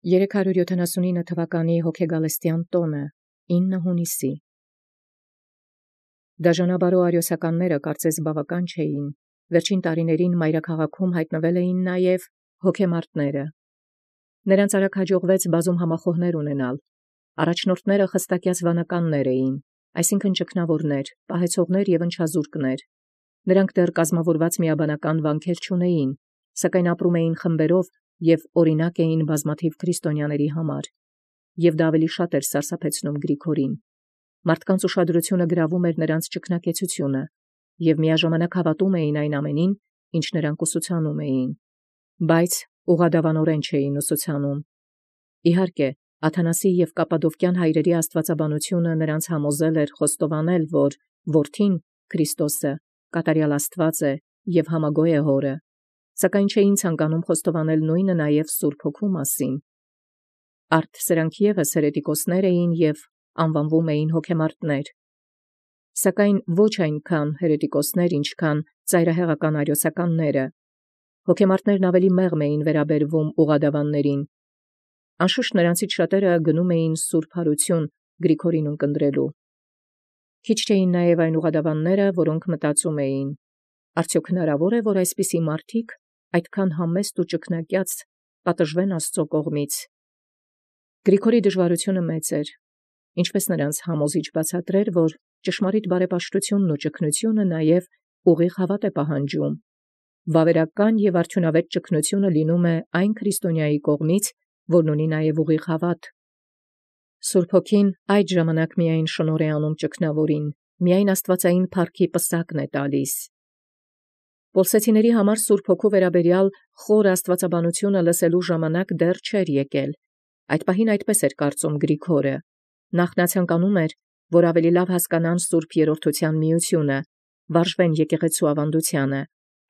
379 թվականի հոգեգալստյան տոնը 9 հունիսի Դաժանաբարո արիոսականները կարծես բավական չէին, վերջին տարիներին մայրաքաղաքում հայտնվել էին նաև հոգեմարտները։ Նրանց արագ հաջողվեց բազում համախոհներ ունենալ։ Առաջնորդները խստակյաց վանականներ էին, այսինքն ճգնավորներ, պահեցողներ և ընչազուրկներ։ Նրանք դեռ կազմավորված միաբանական վանքեր չունեին, սակայն ապրում էին խմբերով և օրինակ էին բազմաթիվ քրիստոնյաների համար, և դա ավելի շատ էր սարսափեցնում Գրիգորին։ Մարդկանց ուշադրությունը գրավում էր նրանց ճգնակեցությունը, և միաժամանակ հավատում էին այն ամենին, ինչ նրանք ուսուցանում էին, բայց ուղղադավանորեն չէին ուսուցանում։ Իհարկե, Աթանասի և Կապադովկյան հայրերի աստվածաբանությունը նրանց համոզել էր խոստովանել, որ որդին Քրիստոսը կատարյալ Աստված է և համագոյ է հորը, սակայն չէին ցանկանում խոստովանել նույնը նաև Սուրբ Հոգու մասին։ Արդ սրանք ևս հերետիկոսներ էին և անվանվում էին հոգեմարտներ, սակայն ոչ այնքան հերետիկոսներ, ինչքան ծայրահեղական արիոսականները։ Հոգեմարտներն ավելի մեղմ էին վերաբերվում ուղղադավաններին։ Անշուշտ նրանցից շատերը գնում էին սուրբ հարություն Գրիգորին ունկնդրելու։ Քիչ չէին նաև այն ուղղադավանները, որոնք մտածում էին. արդյոք հնարավոր է, որ այսպիսի մարդիկ այդքան համեստ ու ճգնակյաց պատժվեն Աստծո կողմից։ Գրիգորի դժվարությունը մեծ էր, ինչպես նրանց համոզիչ բացատրեր, որ ճշմարիտ բարեպաշտությունն ու ճգնությունը նաև ուղիղ հավատ է պահանջում։ Վավերական և արդյունավետ ճգնությունը լինում է այն քրիստոնյայի կողմից, որն ունի նաև ուղիղ հավատ։ Սուրբ Հոգին այդ ժամանակ միայն շնորհ է անում ճգնավորին, միայն աստվածային փառքի պսակն է տալիս։ Պոլսեցիների համար Սուրբ Հոգու վերաբերյալ խոր աստվածաբանությունը լսելու ժամանակ դեռ չէր եկել։ Այդ պահին այդպես էր կարծում Գրիգորը։ Նախ նա ցանկանում էր, որ ավելի լավ հասկանան Սուրբ Երրորդության միությունը, վարժվեն եկեղեցու ավանդությանը,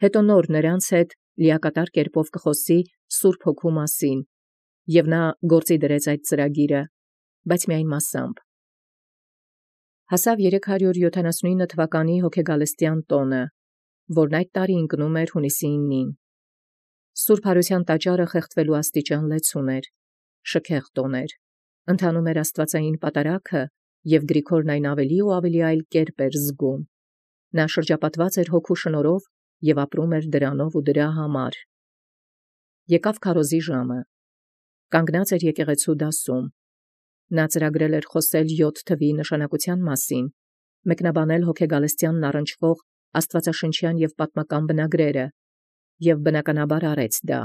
հետո նոր նրանց հետ լիակատար կերպով կխոսի Սուրբ Հոգու մասին, և նա գործի դրեց այդ ծրագիրը, բայց միայն մասամբ։ Հասավ 379 թվականի հոգեգալստյան տոնը, որն այդ տարի ընկնում էր հունիսի 9-ին։ Սուրբ Հարության տաճարը խեղդվելու աստիճան լեցուն էր, շքեղ տոն էր, ընթանում էր աստվածային պատարագը, և Գրիգորն այն ավելի ու ավելի այլ կերպ էր զգում։ Նա շրջապատված էր Հոգու շնորհով և ապրում էր դրանով ու դրա համար։ Եկավ քարոզի ժամը։ Կանգնած էր եկեղեցու դասում։ Նա ծրագրել էր խոսել 7 թվի նշանակության մասին, մեկնաբանել հոգեգալստյանն առնչվող աստվածաշնչյան և պատմական բնագրերը, և բնականաբար արեց դա,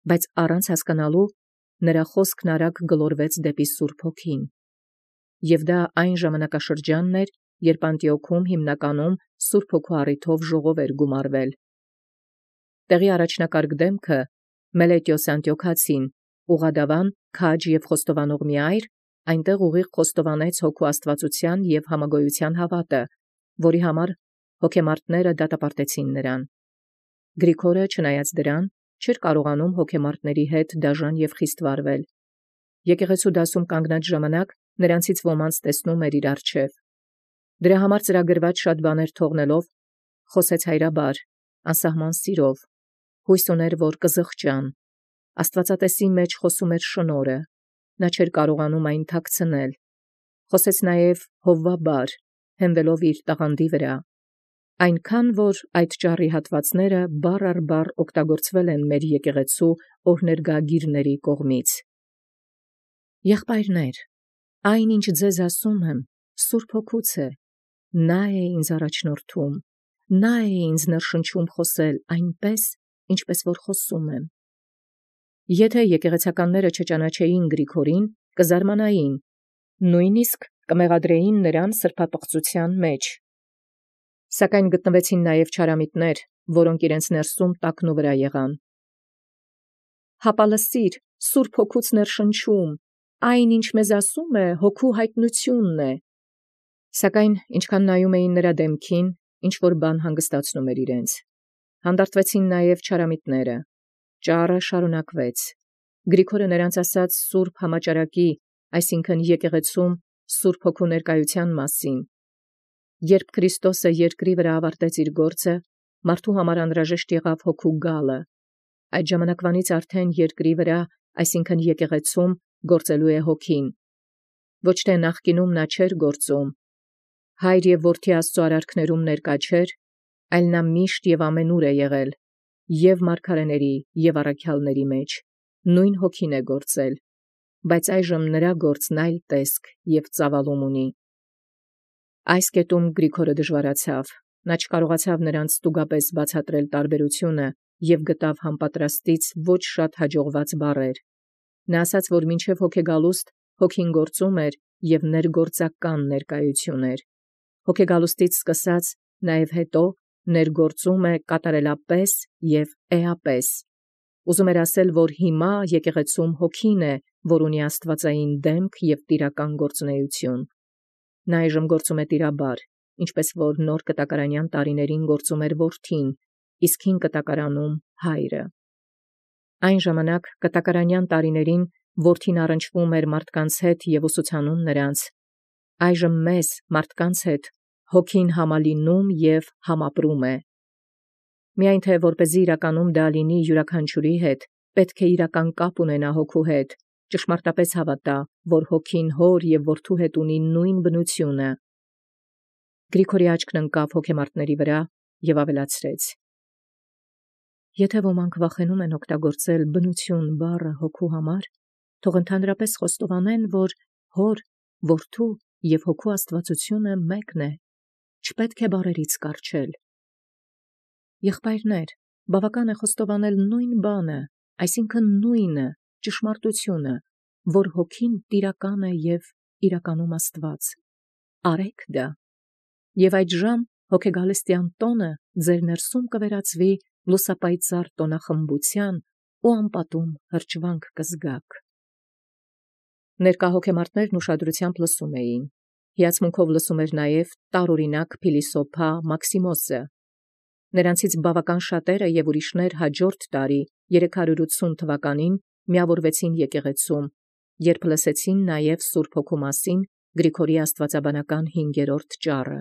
բայց առանց հասկանալու նրա խոսքն արագ գլորվեց դեպի Սուրբ Հոգին։ Եվ դա այն ժամանակաշրջանն էր, երբ Անտիոքում հիմնականում Սուրբ Հոգու առիթով ժողով էր գումարվել։ Տեղի առաջնակարգ դեմքը Մելետիոս Անտիոքացին, ուղղադավան, քաջ և խոստովանող մի այր, այնտեղ ուղիղ խոստովանեց Հոգու աստվածության և համագոյության հավատը, որի համար հոգեմարտները դատապարտեցին նրան։ Գրիգորը, չնայած դրան, չէր կարողանում հոգեմարտների հետ դաժան և խիստ վարվել։ Եկեղեցու դասում կանգնած ժամանակ նրանցից ոմանց տեսնում էր իր առջև։ Դրա համար ծրագրված շատ բաներ թողնելով, խոսեց հայրաբար, անսահման սիրով, հույս ուներ, որ կզղջան։ Աստվածատեսի մեջ խոսում էր շնորհը, նա չէր կարողանում այն թաքցնել։ Խոսեց նաև հովվաբար, հենվելով իր տաղանդի վրա, այնքան, որ այդ ճառի հատվածները բառ առ բառ օգտագործվել են մեր եկեղեցու օրհներգագիրների կողմից։ Եղբայրներ, այն, ինչ ձեզ ասում եմ, Սուրբ Հոգուց է, նա է ինձ առաջնորդում, նա է ինձ ներշնչում խոսել այնպես, ինչպես որ խոսում եմ։ Եթե եկեղեցականները չճանաչեին Գրիգորին, կզարմանային, նույնիսկ կմեղադրեին նրան սրբապղծության մեջ։ Սակայն գտնվեցին նաև չարամիտներ, որոնք իրենց ներսում տակնու վրա եղան։ Հապա լսիր, Սուրբ Հոգուց ներշնչում, այն, ինչ մեզ ասում է, Հոգու հայտնությունն է։ Սակայն ինչքան նայում էին նրա դեմքին, ինչ-որ բան հանգստացնում էր իրենց։ Հանդարտվեցին նաև չարամիտները։ Ճառը շարունակվեց։ Գրիգորը նրանց ասաց Սուրբ Համաճարակի, այսինքն եկեղեցում Սուրբ Հոգու ներկայության մասին։ Երբ Քրիստոսը երկրի վրա ավարտեց իր գործը, մարդու համար անհրաժեշտ եղավ Հոգու գալը։ Այդ ժամանակվանից արդեն երկրի վրա այսինքն եկեղեցում գործելու է հոգին։ Ոչ թե նախկինում նա չէր գործում, հայր եւ որդի Աստծո արարքներում ներկա չէր, այլ նա միշտ եւ ամենուր է եղել, եւ մարգարեների եւ առաքյալների մեջ, նույն հոգին է գործել, բայց այժմ նրա գործն այլ տեսք եւ ծավալում ունի։ Այս կետում Գրիգորը դժվարացավ, նա չկարողացավ նրանց ստուգապես բացատրել տարբերությունը եւ գտավ համապատրաստից ոչ շատ հաջողված բառեր։ Նա ասաց, որ մինչև հոգեգալուստ հոգին գործում էր եւ ներգործական ներկայություն էր։ Հոգեգալուստից սկսած նաեւ հետո ներգործում է կատարելապես եւ էապես։ Ուզում էր ասել, որ հիմա եկեղեցում հոգին է, որ ունի աստվածային դեմք եւ տիրական գործունեություն։ Նա այժմ գործում է տիրաբար, ինչպես որ նոր կտակարանյան տարիներին գործում էր որդին, իսկ հին կտակարանում հայրը։ Այն ժամանակ կտակարանյան տարիներին որդին առնչվում էր մարդկանց հետ եւ ուսուցանում նրանց։ Այժմ մեզ մարդկանց հետ հոգին համալինում եւ համապրում է։ Միայն թե որպեսզի իրականում դա լինի յուրաքանչյուրի հետ, պետք է իրական կապ ունենա հոգու հետ, ճշմարտապես հավատա, որ հոգին հոր եւ որդու հետ ունի նույն բնությունը։ Գրիգորի աչքն ընկավ հոգեմարտների վրա եւ ավելացրեց. Եթե ոմանք վախենում են օգտագործել բնություն բառը հոգու համար, թող ընդհանրապես խոստովանեն, որ հոր, որդու եւ հոգու աստվածությունը մեկն է, չպետք է բառերից կառչել։ Եղբայրներ, բավական է խոստովանել նույն բանը, այսինքն նույնը, ճշմարտությունը, որ հոգին տիրական է եւ իրականում Աստված։ Արեք դա։ Եվ այդժամ հոգեգալստյան տոնը ձեր ներսում կվերածվի լուսապայծառ տոնախմբության ու անպատում հրճվանք կզգաք։ Ներկա հոգեմարտներն ուշադրությամբ լսում էին։ Հիացմունքով լսում էր նաև տարօրինակ փիլիսոփա Մաքսիմոսը։ Նրանցից բավական շատերը եւ ուրիշներ հաջորդ տարի 380 թվականին միավորվեցին եկեղեցում, երբ լսեցին նաև Սուրբ Հոգու մասին Գրիգորի աստվածաբանական 5-րդ ճառը։